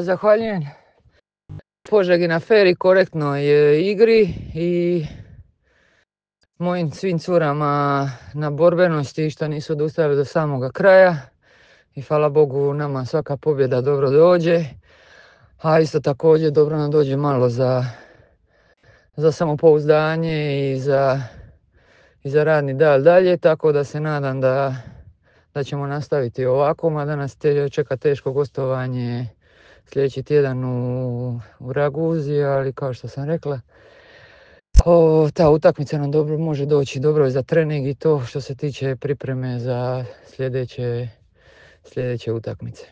Zahvaljujem Požegi na fer i korektnoj igri i mojim svim curama na borbenosti što nisu odustajali do samoga kraja. I hvala Bogu nama svaka pobjeda dobro dođe, a isto također dobro nam dođe malo za samopouzdanje i za radni dalje, tako da se nadam da ćemo nastaviti ovako, mada nas čeka teško gostovanje sljedeći tjedan u Raguzi, ali kao što sam rekla, ta utakmica nam dobro može doći, dobro je za trening i to što se tiče pripreme za sljedeće utakmice.